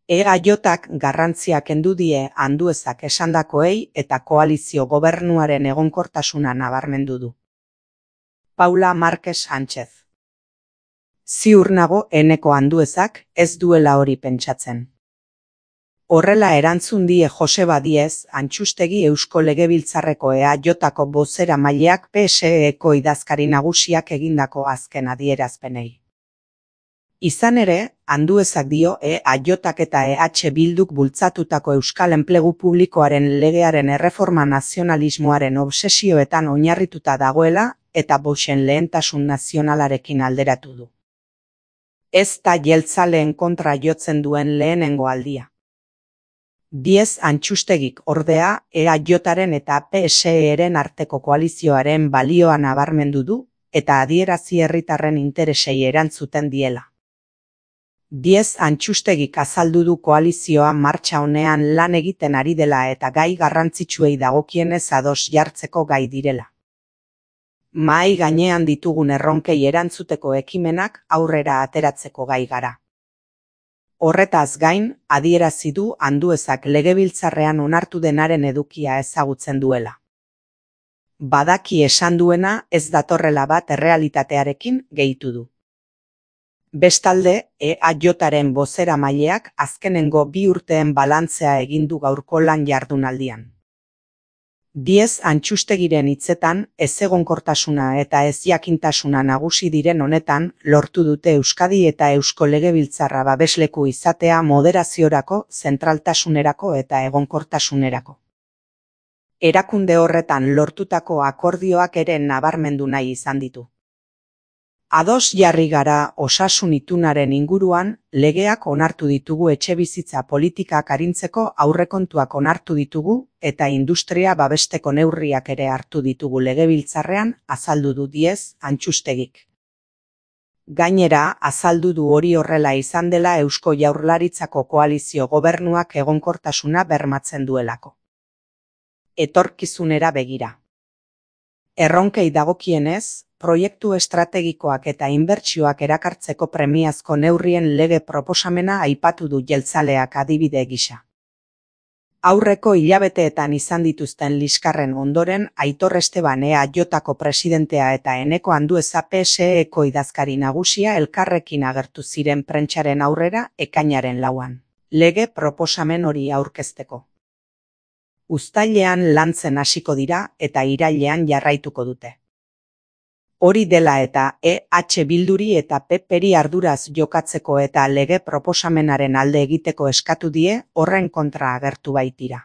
EAJak garrantzia kendu die Anduezak esandakoei eta koalizio gobernuaren egonkortasuna nabarmendu du. Paula Márquez Sánchez. Ziur nago Eneko Anduezak ez duela hori pentsatzen. Horrela erantzun die Joseba Díez Antxustegi Eusko Legebiltzarreko EAJako bozeramaileak PSE-eko idazkari nagusiak egindako azken adierazpenei. Izan ere, Anduezak dio EAJak eta EH Bilduk bultzatutako Euskal Enplegu Publikoaren legearen erreforma nazionalismoaren obsesioetan oinarrituta dagoela eta Voxen lehentasun nazionalarekin alderatu du. Ez da jeltzaleen kontra jotzen duen lehenengo aldia. Díez Antxustegik ordea EAJaren eta PSE-ren arteko koalizioaren balioa nabarmendu du eta adierazi herritarren interesei erantzuten diela. Díez Antxustegik azaldu du koalizioa martxa honean lan egiten ari dela eta gai garrantzitsuei dagokienez ados jartzeko gai direla. Mahai gainean ditugun erronkei erantzuteko ekimenak aurrera ateratzeko gai gara. Horretaz gain, adierazi du Anduezak legebiltzarrean onartu denaren edukia ezagutzen duela. Badaki esan duena ez datorrela bat errealitatearekin gehitu du. Bestalde, EAJaren bozeramaileak azkenengo 2 urteen balantzea egin du gaurko lan jardunaldian. Díez Antxustegiren hitzetan, ezegonkortasuna eta ezjakintasuna nagusi diren honetan, lortu dute Euskadi eta Eusko Legebiltzarra babesleku izatea moderaziorako, zentraltasunerako eta egonkortasunerako. Erakunde horretan lortutako akordioak ere nabarmendu nahi izan ditu. Ados jarri gara osasun itunaren inguruan, legeak onartu ditugu etxebizitza politikak arintzeko aurrekontuak onartu ditugu eta industria babesteko neurriak ere hartu ditugu legebiltzarrean, azaldu du Díez Antxustegik. Gainera, azaldu du hori horrela izan dela Eusko Jaurlaritzako koalizio gobernuak egonkortasuna bermatzen duelako. Etorkizunera begira. Erronkei dagokienez, proiektu estrategikoak eta inbertsioak erakartzeko premiazko neurrien lege proposamena aipatu du jeltzaleak adibide gisa. Aurreko hilabeteetan izan dituzten liskarren ondoren Aitor Esteban EAJako presidentea eta Eneko Andueza PSE-eko idazkari nagusia elkarrekin agertu ziren prentsaren aurrera ekainaren 4an. Lege proposamen hori aurkezteko. Uztailean lantzen hasiko dira eta irailean jarraituko dute. Hori dela eta EH Bilduri eta PPri arduraz jokatzeko eta lege proposamenaren alde egiteko eskatu die horren kontra agertu baitira.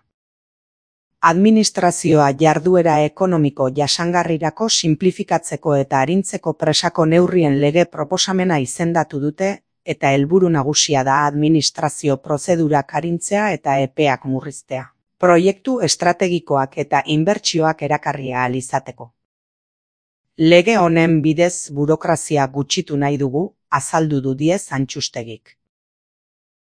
Administrazioa jarduera ekonomiko jasangarrirako sinplifikatzeko eta arintzeko presako neurrien lege proposamena izendatu dute eta helburu nagusia da administrazio prozedurak arintzea eta epeak murriztea. Proiektu estrategikoak eta inbertsioak erakarri ahal izateko. Lege honen bidez burokrazia gutxitu nahi dugu, azaldu du Díez Antxustegik.